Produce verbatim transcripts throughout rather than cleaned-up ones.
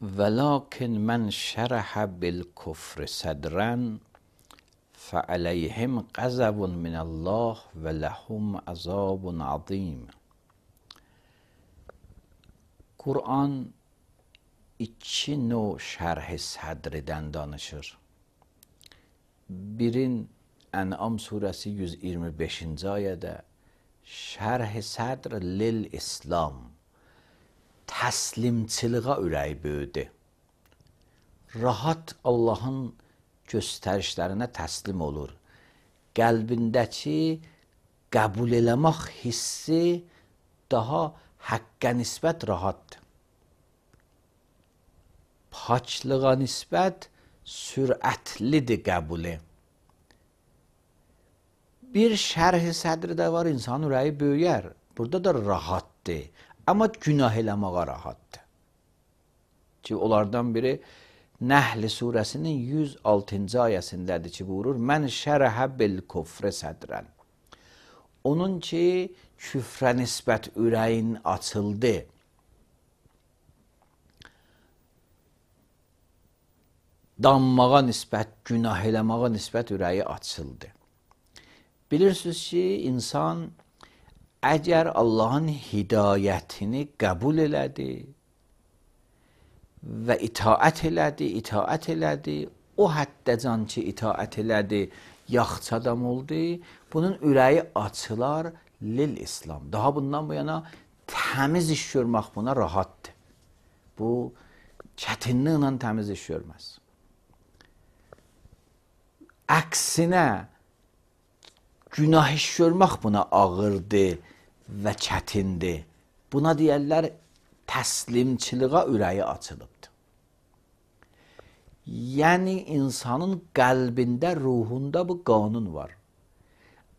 ولكن من شرح بالکفر صدرا فعلیهم غضب من الله ولهم عذاب عظیم. Kur'an iki növ şərh-i sədrdən danışır. Birin Ən'am surəsi yüz iyirmi beşinci ayədə şərh-i sədr lil İslam, təslimçiliğə ürəyi böyüdü. Rahat Allahın göstərişlərinə təslim olur. Qəlbindəki qəbul eləmək hissi daha həqqə nisbət rahatdır. Paçlığa nisbət sürətlidir qəbuli. Bir şərh-i sədr də var, insan ürəyi böyüyər. Burada da rahatdır. Amma günah eləməyə rahatdır. Ki onlardan biri Nəhl surəsinin yüz altıncı ayəsindədir ki, buyurur: Mən şərəhə bil küfrə sədrən. Onun ki, küfrə nisbət ürəyin açıldı. Danmağa nisbət, günah eləməyə nisbət ürəyi açıldı. Bilirsiniz ki, insan əgər Allahın hidayətini qəbul elədi və itaət elədi, itaət elədi, o həddəcan ki, itaət elədi, yaxşı adam oldu, bunun ürəyi açılar lil İslam. Daha bundan bu yana təmiz iş görmək buna rahatdır. Bu, çətinliklə təmiz iş görməz. Əksinə, günah iş görmək buna ağırdır və çətindir. Buna deyərlər, təslimçiliğə ürəyi açılıbdır. Yəni, insanın qəlbində, ruhunda bu qanun var.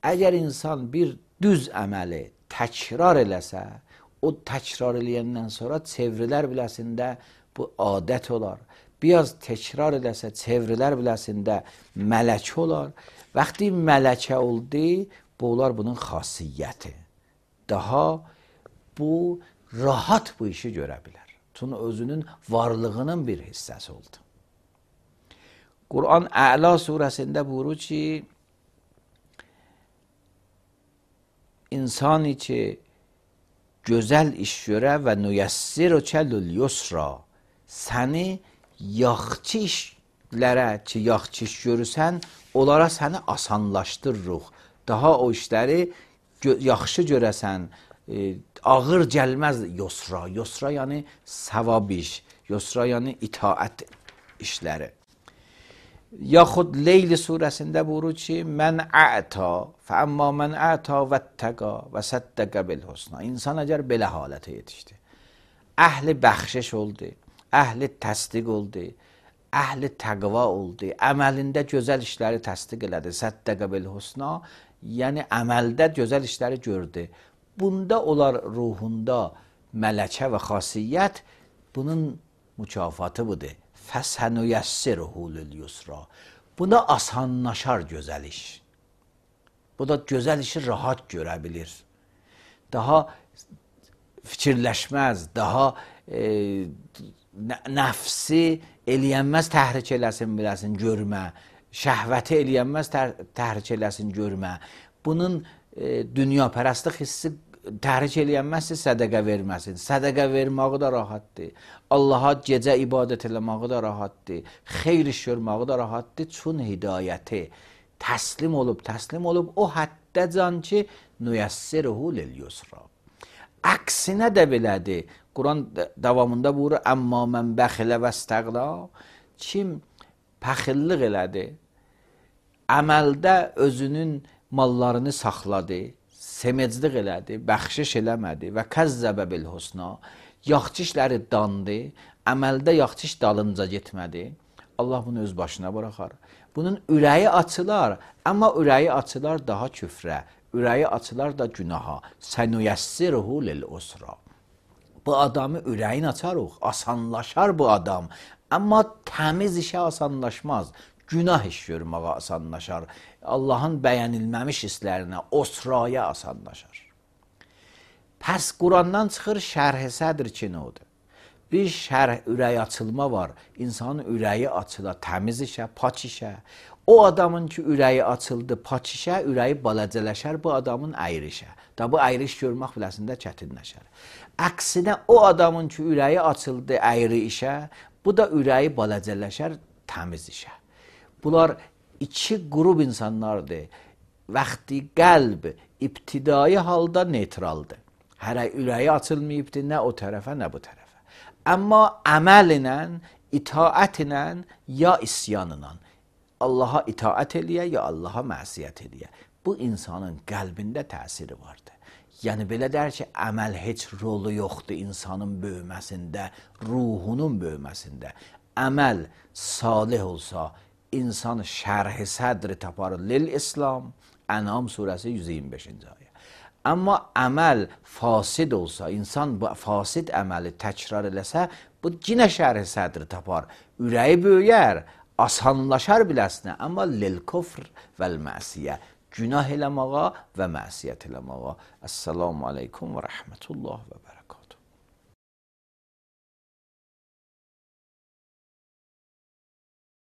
Əgər insan bir düz əməli təkrar eləsə, o təkrar eləyəndən sonra çevrilər biləsində bu adət olar. Biraz təkrar eləsə, çevrilər biləsində mələk olar. Vaxtı mələkə oldu, bu olar bunun xasiyyəti. Daha bu rahat bu işi görə bilər. Çünki özünün varlığının bir hissəsi oldu. Kur'an Əla surəsində buyurur ki, insan ki gözəl iş görə və nüyəssirükə lül yusra, səni yaxçı işlərə ki, yaxçı iş görürsən, onlara səni asanlaşdırırıq. Daha o işləri yaxşı görəsən, e, ağır gəlməz yusra. Yusra yəni savab iş, yusra yəni itaət işləri. Yaxud Leyl surəsində buyurur ki, mən ə'ta, fəəmmə mən ə'ta vəttəqa və səddəqə bil husna. İnsan əgər belə halətə yetişdi, əhli bəxşiş oldu, əhli təsdiq oldu, əhli təqva oldu, əməlində gözəl işləri təsdiq elədi, səddəqə bil husna, yəni əməldə gözəl işləri gördü. Bunda olar ruhunda mələkə və xasiyyət, bunun mükafatı budur. Fəsənüyəssirhu lil yusra. Buna asanlaşar gözəl iş. Bu da gözəl işi rahat görə bilir. Daha fikirləşməz, daha e, nəfsi eləyənməz təhrik eləsin, biləsin, görmə. Şəhvəti eləyənməz tər təhrik eləsin, görmə. Bunun e, dünyapərəstlik hissi təhrik eləyənməzsə sədəqə verməsin. Sədəqə verməyi da rahatdır. Allaha gecə ibadət eləməyi da rahatdır. Xeyr iş görməyi da rahatdır. Çün hidayəti təslim olub, təslim olub o həddəcan ki, nüyəssirhu lil yusra. Əksinə də belədir. Quran davamında buyurur, əmmə mən bəxilə və istəqla, kim pəxillik elədi, əməldə özünün mallarını saxladı, semeclik elədi, bəxşiş eləmədi və kəzzəbə bil husna, yaxçı işləri dandı, əməldə yaxçı iş dalınca getmədi, Allah bunu öz başına bıraxar. Bunun ürəyi açılar, amma ürəyi açılar daha küfrə, ürəyi açılar da günaha. Sənüyəssirhu lil usra. Bu adamı ürəyin açarıq, asanlaşar bu adam, amma təmiz işə asanlaşmaz. Günah iş görməyə asanlaşar. Allahın bəyənilməmiş hisslərinə, osraya asanlaşar. Pəs Qurandan çıxır şərh-i sədr ki, nə odur? bir şərh, ürəyi açılma var. İnsanın ürəyi açıla, təmiz işə, paç işə. O adamın ki, ürəyi açıldı, paç işə, ürəyi balacələşər bu adamın əyrişə. Da bu əyriş görmək biləsində çətinləşər. Əksinə o adamın ki, ürəyi açıldı əyri işə, bu da ürəyi balacələşər təmiz işə. Bunlar iki qrup insanlardır. Vaxtı qəlb ibtidai halda neytraldır. Hələ ürəyi açılmayıbdır nə o tərəfə, nə bu tərəfə. Amma əməl ilə, itaət ilə, ya isyanla Allaha itaət eləyə, ya Allaha məsiyyət eləyə. Bu insanın qəlbində təsiri vardır. Yəni belə deyər ki, əməl heç rolu yoxdur insanın böyüməsində, ruhunun böyüməsində. Əməl salih olsa, insan şərh-i sədri tapar lil-İslam, Ənam surəsi yüz iyirmi beşinci ayə. Amma əməl fasid olsa, insan bu fasid əməli təkrar eləsə, bu yenə şərh-i sədri tapar. Ürəyi böyüyər, asanlaşar biləsinə, amma lil-kufr vəl-məsiyə, günah eləməğa və məsiyyət eləməğa. Əssalamu aleykum və rəhmətullah və bərəkət.